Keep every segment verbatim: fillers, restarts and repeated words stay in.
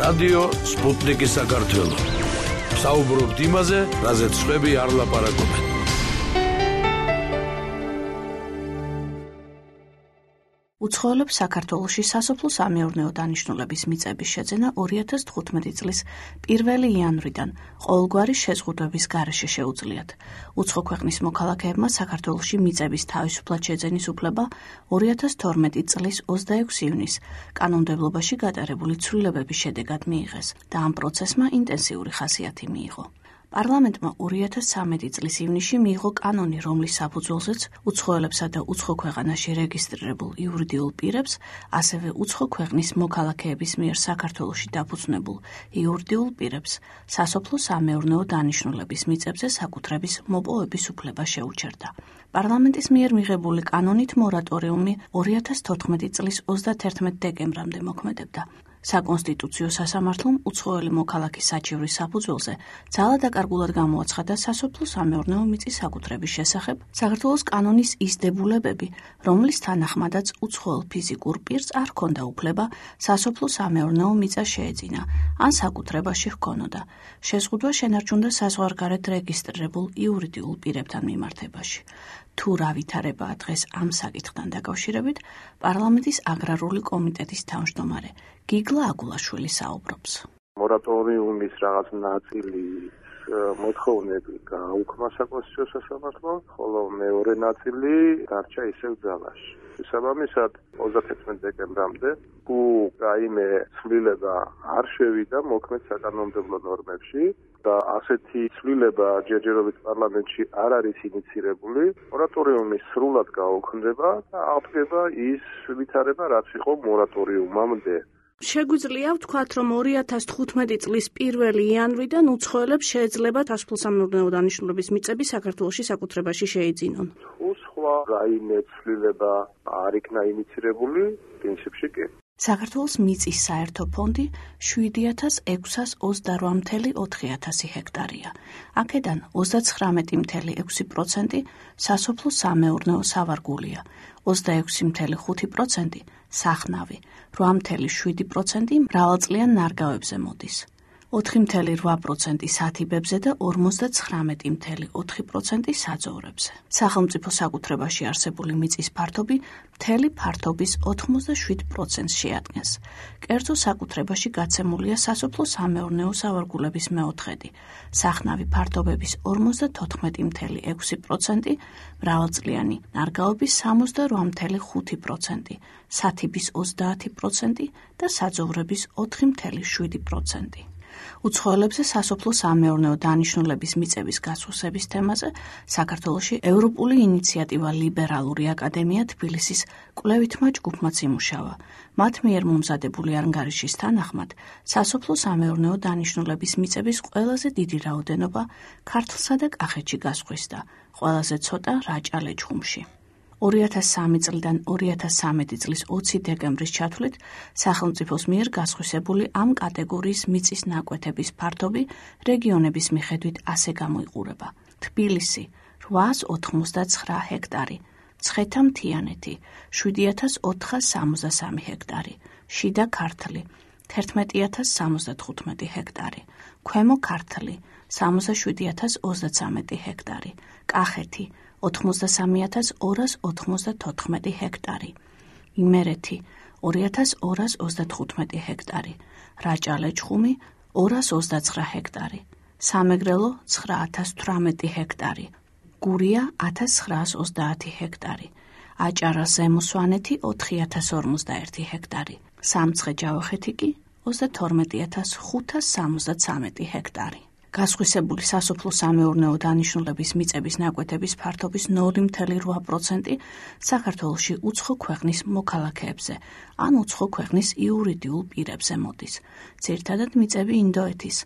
რადიო სპუტნიკი საქართველო. საუბრობთ იმაზე, რაზეც სხვები არ ლაპარაკობენ. უცხოელებს საქართველოში სასოფლო-სამეურნეო დანიშნულების მიწების შეძენა ორი ათას თხუთმეტი წლის პირველი იანვრიდან ყოველგვარი შეზღუდვების გარეშე შეუძლიათ. უცხო ქვეყნის მოქალაქეებმა საქართველოში მიწების თავისუფლად შეძენის უფლება ორი ათას თორმეტი წლის ოცდაექვსი ივნისს კანონმდებლობაში გატარებული ცვლილებების შედეგად მიიღეს და ამ პროცესმა ინტენსიური ხასიათი მიიღო. პარლამენტმა ორი ათას ცხრამეტი წლის ივნისში მიიღო კანონი, რომლის საფუძველზეც უცხოელებსა და უცხო ქვეყანაში რეგისტრირებულ იურიდიულ პირებს, ასევე უცხო ქვეყნის მოქალაქეების მიერ საქართველოში დაფუძნებულ იურიდიულ პირებს სასოფლო-სამეურნეო დანიშნულების მიწებზე საკუთრების მოპოვების უფლება შეუჩერდა. პარლამენტის მიერ მიღებული კანონით მორატორიუმი ორი ათას თოთხმეტი წლის ოცდათერთმეტ დეკემბრამდე მოქმედებდა. საკონსტიტუციო სასამართლომ უცხოელი მოქალაქის საჩივრის საფუძველზე ძალადაკარგულად გამოაცხადა სასოფლო-სამეურნეო მიწის საკუთრების შესახებ საქართველოს კანონის ის დებულებები, რომლის თანახმადაც უცხოელ ფიზიკურ პირს არ ჰქონდა უფლება სასოფლო-სამეურნეო მიწა შეეძინა, ან საკუთრებაში ჰქონოდა. შეზღუდვა შენარჩუნდა საზღვარგარეთ რეგისტრირებულ იურიდიულ პირებთან მიმართებაში. თუ რა ვითარებაა დღეს ამ საკითხთან დაკავშირებით, პარლამენტის აგრარული კომიტეტის თავმჯდომარე გიგლა აგულაშვილი საუბრობს. მორატორიუმის რაღაც ნაწილი მოთხოვნები გააუქმა საკონსტიტუციო სასამართლომ, ხოლო მეორე ნაწილი დარჩა ისევ ძალაში. შესაბამისად, ოცდათერთმეტ დეკემბრამდე, თუ რაიმე ცვლილება არ შევიდა მოქმედ საკანონმდებლო ნორმებში და ასეთი ცვლილება ჯერჯერობით პარლამენტში არ არის ინიცირებული, მორატორიუმი სრულად გაუქმდება და აღდგება ის ვითარება, რაც იყო მორატორიუმამდე. შეგვიძლია ვთქვათ, რომ ორი ათას თხუთმეტი წლის პირველი იანვრიდან უცხოელებს შეეძლებათ სასოფლო-სამეურნეო დანიშნულების მიწები საქართველოში საკუთრებაში შეიძინონ. თუ სხვა რაიმე ცვლილება არ იქნა ინიცირებული, პრინციპში კი. საქართველოს მიწის საერთო ფონდი შვიდი ათას ექვსას ოცდარვა მთელი ოთხი ათასი ჰექტარია. აქედან ოცდაცხრამეტი მთელი ექვსი პროცენტი სასოფლო-სამეურნეო სავარგულია, ოცდაექვსი მთელი ხუთი პროცენტი სახნავი, რვა მთელი შვიდი პროცენტი მრავალწლიან ნარგავებზე მოდის. ოთხი მთელი რვა პროცენტი სათიბებზე და ორმოცდაცხრამეტი მთელი ოთხი პროცენტი საძოვრებზე. სახელმწიფო საკუთრებაში არსებული მიწის ფართობი მთელი ფართობის ოთხმოცდაშვიდ პროცენტს შეადგენს. კერძო საკუთრებაში გაცემულია სასოფლო-სამეურნეო სავარგულების მეოთხედი, სახნავი ფართობების ორმოცდათოთხმეტი მთელი ექვსი პროცენტი, მრავალწლიანი ნარგავების სამოცდარვა მთელი ხუთი პროცენტი, სათიბის ოცდაათი პროცენტი და საძოვრების ოთხი მთელი შვიდი პროცენტი. უცხოელებზე სასოფლო-სამეურნეო დანიშნულების მიწების გასხვისების თემაზე საქართველოში ევროპული ინიციატივა ლიბერალური აკადემია თბილისის კვლევითმა ჯგუფმაც იმუშავა. მათ მიერ მომზადებული ანგარიშის თანახმად, სასოფლო-სამეურნეო დანიშნულების მიწების ყველაზე დიდი რაოდენობა ქართლსა და კახეთში გასხვისდა, ყველაზე ცოტა რაჭა-ლეჩხუმში. ორი ათას სამი წლიდან ორი ათას ცხრამეტი წლის ოცი დეკემბრის ჩათვლით სახელმწიფოს მიერ გასხვისებული ამ კატეგორიის მიწის ნაკვეთების ფართობი რეგიონების მიხედვით ასე გამოიყურება. თბილისი რვაას ოთხმოცდაცხრა ჰექტარი, მცხეთა-მთიანეთი შვიდი ათას ოთხას სამოცდასამი ჰექტარი, შიდა ქართლი თერთმეტი ათას სამოცდათხუთმეტი ჰექტარი, ქვემო ქართლი სამოცდაშვიდი ათას ოცდაცამეტი ჰექტარი, კახეთი ოთხმოცდასამი ათას ორას ოთხმოცდათოთხმეტი ჰექტარი, იმერეთი ორი ათას ორას ოცდათხუთმეტი ჰექტარი, რაჭა-ლეჩხუმი ორას ოცდაცხრა ჰექტარი, სამეგრელო ცხრა ათას თვრამეტი ჰექტარი, გურია ათას ცხრაას ოცდაათი ჰექტარი, აჭარა-ზემო სვანეთი ოთხი ათას ორმოცდაერთი ჰექტარი, სამცხე-ჯავახეთი კი ოცდათორმეტი ათას ხუთას სამოცდაცამეტი ჰექტარი. გასხვისებული სასოფლო-სამეურნეო დანიშნულების მიწების ნაკვეთების ფართობის ნული მთელი რვა პროცენტი საქართველოში უცხო ქვეყნის მოქალაქეებზე, ან უცხო ქვეყნის იურიდიულ პირებზე მოდის. ძირითადად მიწები ინდოეთის,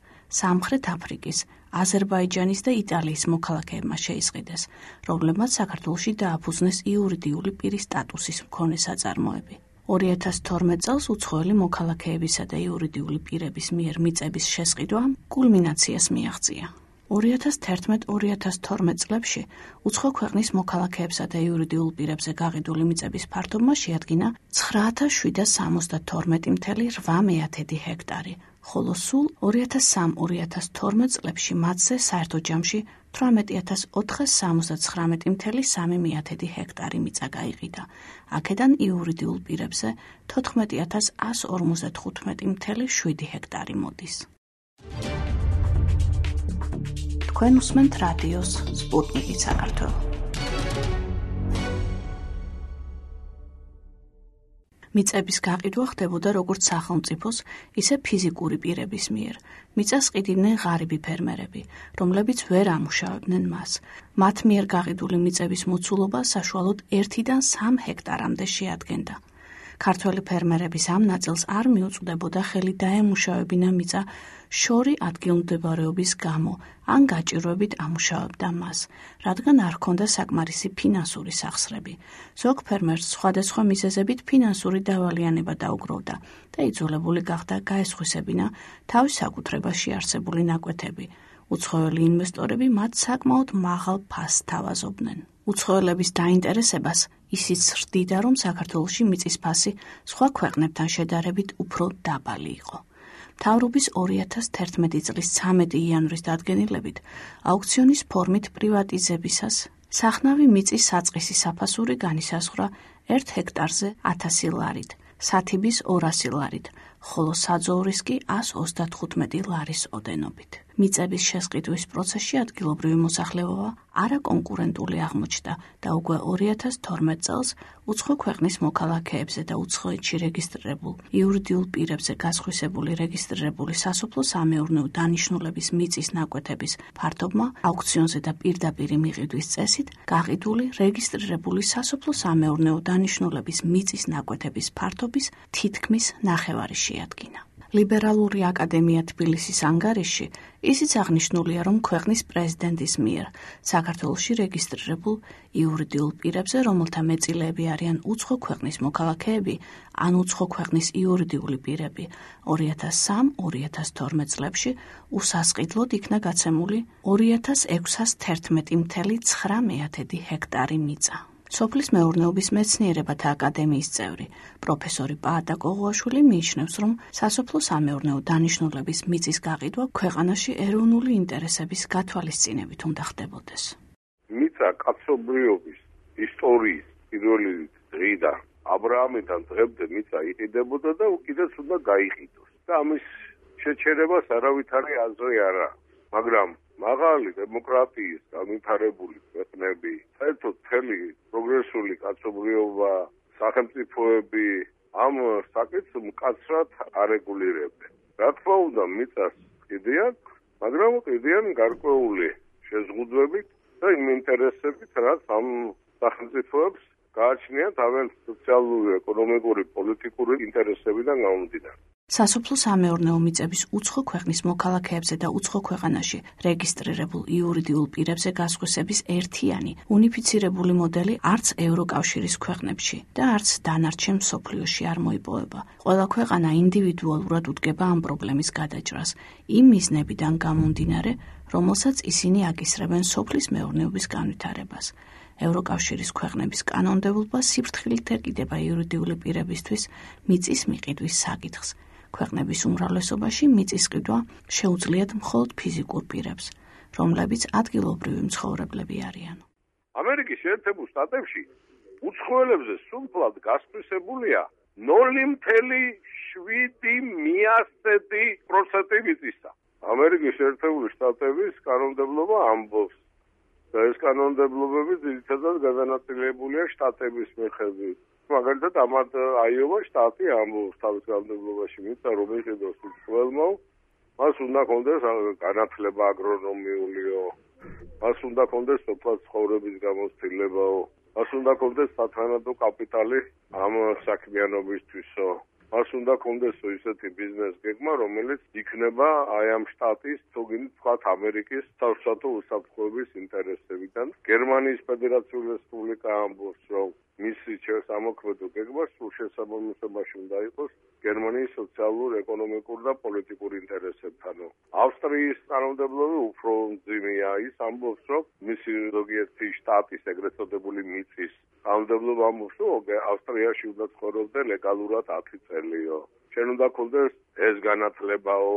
სამხრეთ აფრიკის, აზერბაიჯანის და იტალიის მოქალაქეებმა შეისყიდეს, რომლებმაც საქართველოში დააფუძნეს იურიდიული პირის სტატუსის მქონე საწარმოები. ორი ათას თორმეტ წელს უცხოელი მოქალაქეებისა და იურიდიული პირების მიერ მიწების შესყიდვა კულმინაციას მიაღწია. ორი ათას თერთმეტ ორი ათას თორმეტ წლებში უცხო ქვეყნის მოქალაქეებსა და იურიდიულ პირებზე გაყიდული მიწების ფართობმა შეადგინა ცხრა ათას შვიდას სამოცდათორმეტი მთელი რვა მეათედი ჰექტარი, ხოლო სულ ორი ათას სამ ორი ათას თორმეტ წლებში მათზე საერთო ჯამში თვრამეტი ათას ოთხას სამოცდათხრამეტი მცდე სამი მეათედი ჰექტარი მიწა გაიყიდა. აქედან იურიდიულ პირებზე თოთხმეტი ათას εκατო ორმოცდათხუთმეტი მცდე შვიდი ჰექტარი მოდის. თქვენ უსმენთ რადიოს სპუტნიკი საქართველო. მიწების გაყიდვა ხდებოდა როგორც სახელმწიფოს, ისე ფიზიკური პირების მიერ. მიწას ყიდნენ ღარიბი ფერმერები, რომლებიც ვერ ამუშავებდნენ მას. მათ მიერ გაყიდული მიწების მოცულობა საშუალოდ ერთიდან სამ ჰექტარამდე შეადგენდა. ქართველი ფერმერების ამ ნაწილს არ მიუწვდებოდა ხელი დაემუშავებინა მიწა შორი ადგილმდებარეობის გამო, ან გაჭირვებით ამუშავებდა მას, რადგან არ ჰქონდა საკმარისი ფინანსური სახსრები. ზოგ ფერმერს სხვადასხვა მიზეზებით ფინანსური დავალიანება დაუგროვდა და იძულებული გახდა გაესხვისებინა თავის საკუთრებაში არსებული ნაკვეთები. უცხოელი ინვესტორები მათ საკმაოდ მაღალ ფასს თავაზობდნენ. უცხოელების დაინტერესებას ისიც სრდიდა, რომ საქართველოში მიწის ფასი სხვა ქვეყნებთან შედარებით უფრო დაბალი იყო. მთავრობის ორი ათას თერთმეტი წლის ცამეტი იანვრის დადგენილებით აუქციონის ფორმით პრივატიზებისას სახნავი მიწის საწყისი საფასური განისაზღვრა ერთ ჰექტარზე ათასი ლარით, სათიბის ორასი ლარით, ხოლო საძოვრის კი ასი ოცდათხუთმეტი ლარის ოდენობით. მიწების შესყიდვის პროცესში ადგილობრივი მოსახლეობა არაკონკურენტული აღმოჩნდა და უკვე ორი ათას თორმეტ წელს უცხო ქვეყნის მოქალაქეებზე და უცხოეთში რეგისტრირებულ იურიდიულ პირებზე გასხვისებული რეგისტრირებული სასოფლო-სამეურნეო დანიშნულების მიწის ნაკვეთების ფართობმა აუქციონზე და პირდაპირი მიყიდვის წესით გაყიდული რეგისტრირებული სასოფლო-სამეურნეო დანიშნულების მიწის ნაკვეთების ფართობის თითქმის ნახევარი შეადგინა. ლიბერალური აკადემია თბილისის ანგარიშში ისიც აღნიშნულია, რომ ქვეყნის პრეზიდენტის მიერ საქართველოში რეგისტრირებულ იურიდიულ პირებზე, რომელთა მეწილეები არიან უცხო ქვეყნის მოქალაქეები ან უცხო ქვეყნის იურიდიული პირები, ორი ათას სამ ორი ათას თორმეტ წლებში უსასყიდლოდ იქნა გაცემული ორი ათას ექვსას თერთმეტი მცდე ცხრა მეათედი ჰექტარი მიწა. სოფლის მეურნეობის მეცნიერებათა აკადემიის წევრი პროფესორი პაატა კოღუაშვილი მიიჩნევს, რომ სასოფლო-სამეურნეო დანიშნულების მიწის გაყიდვა ქვეყანაში ეროვნული ინტერესების გათვალისწინებით უნდა ხდებოდეს. მიწა კაცობრიობის ისტორიის პირველი დღიდან აბრაამიდან დღემდე მიწა იყიდებოდა და უკიდაც უნდა გაიყიდოს. და ამის შეჩერებას არავითარი აზრი არა, მაგრამ მაღალი დემოკრატიის განვითარებული ქვეყნები, საერთოდ მთელი პროგრესული კაცობრიობა, სახელმწიფოები ამ საკითხს მკაცრად არეგულირებენ. რა თქმა უნდა, მიწას ყიდიან, მაგრამ ყიდიან გარკვეული შეზღუდვებით და იმ ინტერესებით, რაც ამ სახელმწიფოებს გააჩნიათ თავიანთი სოციალური, ეკონომიკური, პოლიტიკური ინტერესებიდან გამომდინარე. სასოფლო-სამეურნეო მიწების უცხო ქვეყნის მოქალაქეებზე და უცხო ქვეყანაში რეგისტრირებულ იურიდიულ პირებზე გასხვისების ერთიანი, უნიფიცირებული მოდელი არც ევროკავშირის ქვეყნებში და არც დანარჩენ მსოფლიოში არ მოიპოვება. ყველა ქვეყანა ინდივიდუალურად უდგება ამ პრობლემის გადაჭრას, იმ მიზნებიდან გამომდინარე, რომელსაც ისინი აკისრებენ სოფლის მეურნეობის განვითარებას. ევროკავშირის ქვეყნების კანონმდებლობა სიფრთხილით ეკიდება იურიდიული პირებისთვის მიწის მიყიდვის საკითხს. ქვეყნების უმრავლესობაში მიწის ყიდვა შეუძლიათ მხოლოდ ფიზიკურ პირებს, რომლებიც ადგილობრივი მცხოვრებლები არიან. ამერიკის შეერთებულ შტატებში უცხოელებზე სულფლად გასხვისებულია ნული მცდე შვიდი მიასწედი პროცენტი მიწისა. ამერიკის შეერთებული შტატების კანონმდებლობა ამბობს და ეს კანონმდებლობები ძირითადად გადანაწილებულია შტატების მიხედვით. მაგალითად, ამათ აიოვა შტატი ამბობს თავის კანონმდებლობაში მიწა რომ იყიდოს უცხოელმა, მას უნდა ჰქონდეს განათლება აგრონომიულიო, მას უნდა ჰქონდეს სოფლად ცხოვრების გამოცდილებაო, მას უნდა ჰქონდეს სათანადო კაპიტალი ამ საქმიანობისთვისო. მას უნდა ჰქონდეს ისეთი ბიზნეს გეგმა, რომელიც იქნება აი ამ შტატის, თუგინი თქვათ ამერიკის საერთო უსაფრთხოების ინტერესებიდან. გერმანიის ფედერაციული რესპუბლიკა ამბობს, რომ მისი სამოქმედო გეგმა სულ შესაბამისობაში უნდა იყოს გერმანიის სოციალურ-ეკონომიკურ და პოლიტიკურ ინტერესებთან. ავსტრიის კანონმდებლობა უფრო მძიმეა, ის ამბობს, რომ მისი ზოგიერთი შტატის ეგრეთ წოდებული მიწის კანონმდებლობა ამბობს, რომ ავსტრიაში უნდა ცხოვრობდე ლეგალურად ათი წელიო. ჩვენ უნდა გქონდეს ეს განათლებაო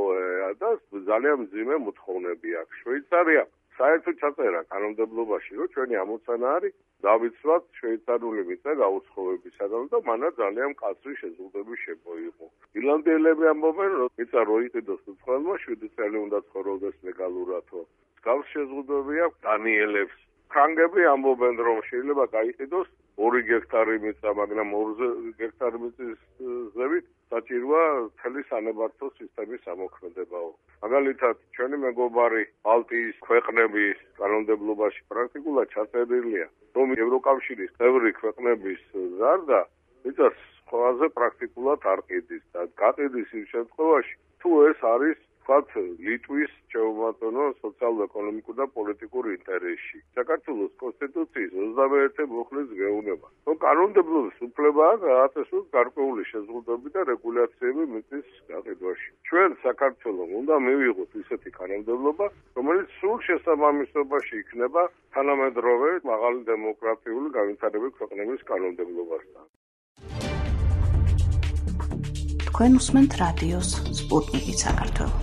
და ძალიან მძიმე მოთხოვნები აქვს. შვეიცარია საერთოდ ჩაწერა კანონმდებლობაში, რომ ჩვენი ამოცანა არის დავიცვათ შვეიცარიული მიწა გაუცხოვებისაგან და მანაც ძალიან მკაცრი შეზღუდვები შემოიღო. ირლანდიელები ამბობენ, რომ მიწა რო იყიდოს უცხოელმა, შვიდი წელი უნდა ცხოვრობდეს ლეგალურადო. მსგავს შეზღუდვები აქვს დანიელებს. ფრანგები ამბობენ, რომ შეიძლება გაიყიდოს ორი გექტარი მიწა, მაგრამ ორი გექტარი მიწის ზევით საჭიროა მთელი სანებართო სისტემის ამოქმედებაო. მაგალითად, ჩვენი მეგობარი ბალტიის ქვეყნების კანონმდებლობაში პრაქტიკულად ჩაწერილია, რომ ევროკავშირის წევრი ქვეყნების ზარდა მიწას ყველაზე პრაქტიკულად არ ყიდის და გაყიდის იმ შემთხვევაში, თუ ეს არის ვთქვათ, ლიტვის შეუმატონო სოციალურ-ეკონომიკურ და პოლიტიკურ ინტერესში. საქართველოს კონსტიტუციის ოცდამეერთე მუხლის გეუბნება, რომ კანონმდებლობის უფლებაა გააწესოს გარკვეული შეზღუდვები და რეგულაციები მიწის გაყიდვაში. ჩვენ საქართველოს უნდა მივიღოთ ისეთი კანონმდებლობა, რომელიც სულ შესაბამისობაში იქნება თანამედროვე მაღალი დემოკრატიული განვითარების ქვეყნების კანონმდებლობასთან. თქვენ უსმენთ რადიოს სპუტნიკი საქართველო.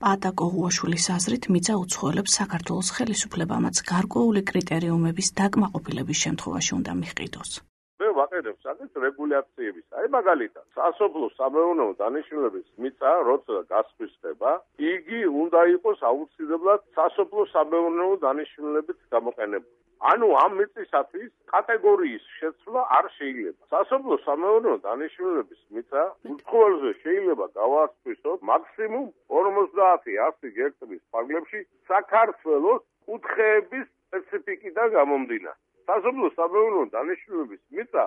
პატა კოღუაშვილის აზრით, მიწა უცხოელებს საქართველოს ხელისუფლებამაც გარკვეული კრიტერიუმების დაკმაყოფილების შემთხვევაში უნდა მიჰყიდოს. მე ვაყენებ საკითხს რეგულაციების. აი მაგალითად, სასოფლო სამეურნეო დანიშნულების მიწა, როცა გასხვისდება, იგი უნდა იყოს აუცილებლად სასოფლო სამეურნეო დანიშნულებით გამოყენებული. ანუ ამ მიწისათვის კატეგორიის შეცვლა არ შეიძლება. სასოფლო სამეურნეო დანიშნულების მიწა უცხოელზე შეიძლება გავაასწროთ მაქსიმუმ ორმოცდაათი ათი გექტრის ფარგლებში საქართველოს კუთხეების სპეციფიკიდან გამომდინარე. სასოფლო სამეურნეო დანიშნულების მიწა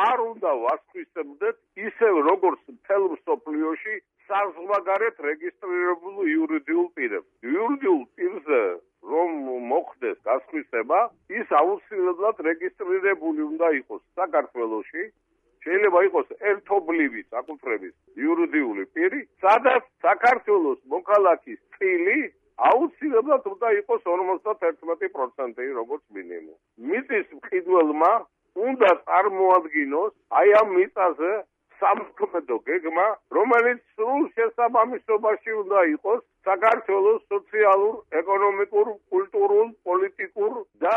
არ უნდა ვასხვისებდეთ ისევ როგორც მთელ მსოფლიოში საზღვარგარეთ რეგისტრირებულ იურიდიულ პირებს. იურიდიულ პირზე რომ მოხდეს გასხვისება, ის აუცილებლად რეგისტრირებული უნდა იყოს საქართველოში. შეიძლება იყოს ერთობლივი საკუთრების იურიდიული პირი, სადაც საქართველოს მოქალაქის წილი აუცილებლად უნდა იყოს ორმოცდაერთმეტი პროცენტი როგორც მინიმუმ. მიწის მყიდველმა უნდა წარმოადგინოს აი ამ მიწაზე სამოქმედო გეგმა, რომელიც სრულ შესაბამისობაში უნდა იყოს საქართველოს სოციალურ, ეკონომიკურ, კულტურულ, პოლიტიკურ და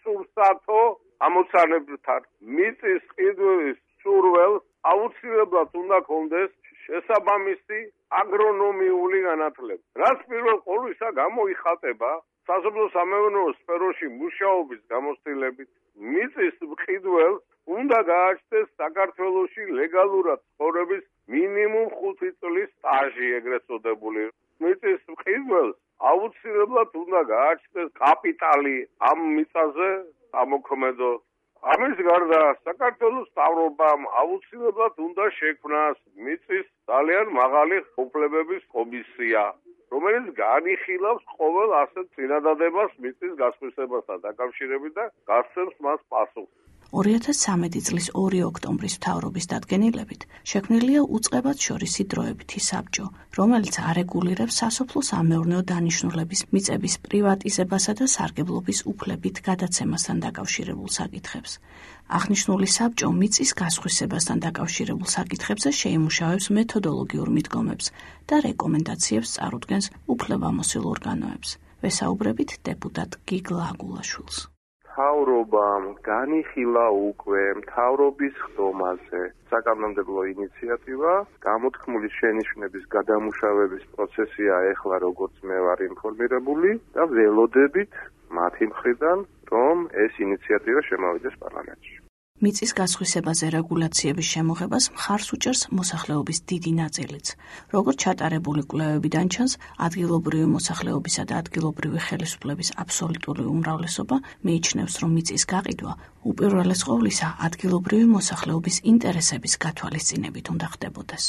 სურსათო ამოცანებთან. მიწის ყიდვის სურველს აუცილებლად უნდა გქონდეს შესაბამისი აგრონომიული განათლება. რაც პირველ ყოვლისა გამოიხატება სასოფლო სამეურნეო სფეროში მუშაობის გამოცდილებით, მიწის მყიდველს უნდა გააჩნდეს საქართველოში ლეგალურად ცხოვრების მინიმუმ ხუთი წლის სტაჟი ეგრეთ წოდებული. მიწის მყიდველს აუცილებლად უნდა გააჩნდეს კაპიტალი ამ მიწაზე ამოქმედო. ამის გარდა საქართველოს მთავრობამ აუცილებლად უნდა შექმნას მიწის ძალიან მაღალი უფლებების კომისია, რომელიც განიხილავს ყოველ ასეთ წინადადებას მიწის გასხვისებასთან დაკავშირებით და გასცემს მას პასუხს. ორი ათას სამი წლის ორი ოქტომბრის მთავრობის დადგენილებით შექმნილია უწყებად შორისი დროებითი საბჭო, რომელიც არეგულირებს სასოფლო-სამეურნეო დანიშნულების მიწების პრივატიზებასა და სარგებლობის უფლებით გადაცემასთან დაკავშირებულ საკითხებს. აღნიშნული საბჭო მიწის გასხვისებასთან დაკავშირებულ საკითხებზე შეიმუშავებს მეთოდოლოგიურ მიდგომებს და რეკომენდაციებს წარუდგენს უფლებამოსილ ორგანოებს. ვესაუბრებით დეპუტატ გიგლა აგულაშვილს. მთავრობამ განიხილა უკვე მთავრობის ხდომაზე საკანონმდებლო ინიციატივა, გამოთქმული შენიშვნების გადამუშავების პროცესია ეხლა როგორც მე ვარ ინფორმირებული და ველოდებით მათი მხრიდან, რომ ეს ინიციატივა შემოვიდეს პარლამენტში. მიწის გასხვისებაზე რეგულაციების შემოღებას მხარს უჭერს მოსახლეობის დიდი ნაწილიც. როგორც ჩატარებული კვლევებიდან ჩანს, ადგილობრივი მოსახლეობისა და ადგილობრივი ხელისუფლების აბსოლუტური უმრავლესობა მიიჩნევს, რომ მიწის გაყიდვა უპირველეს ყოვლისა ადგილობრივი მოსახლეობის ინტერესების გათვალისწინებით უნდა ხდებოდეს.